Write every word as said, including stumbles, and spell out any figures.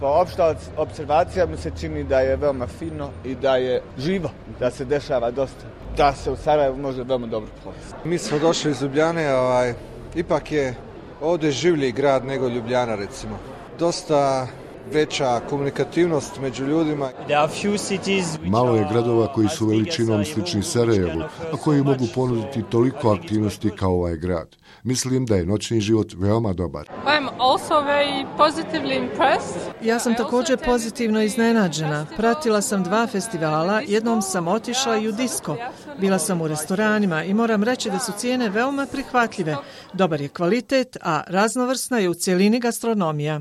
Pa opšta observacija mi se čini da je veoma fino i da je živo, da se dešava dosta, da se u Sarajevu može veoma dobro provesti. Mi smo došli iz Ljubljane, ovaj, ipak je ovdje življi grad nego Ljubljana recimo. Dosta veća komunikativnost među ljudima. Malo je gradova koji su veličinom slični Sarajevu, a koji mogu ponuditi toliko aktivnosti kao ovaj grad. Mislim da je noćni život veoma dobar. Ja sam također pozitivno iznenađena. Pratila sam dva festivala, jednom sam otišla i u disko. Bila sam u restoranima i moram reći da su cijene veoma prihvatljive. Dobar je kvalitet, a raznovrsna je u cjelini gastronomija.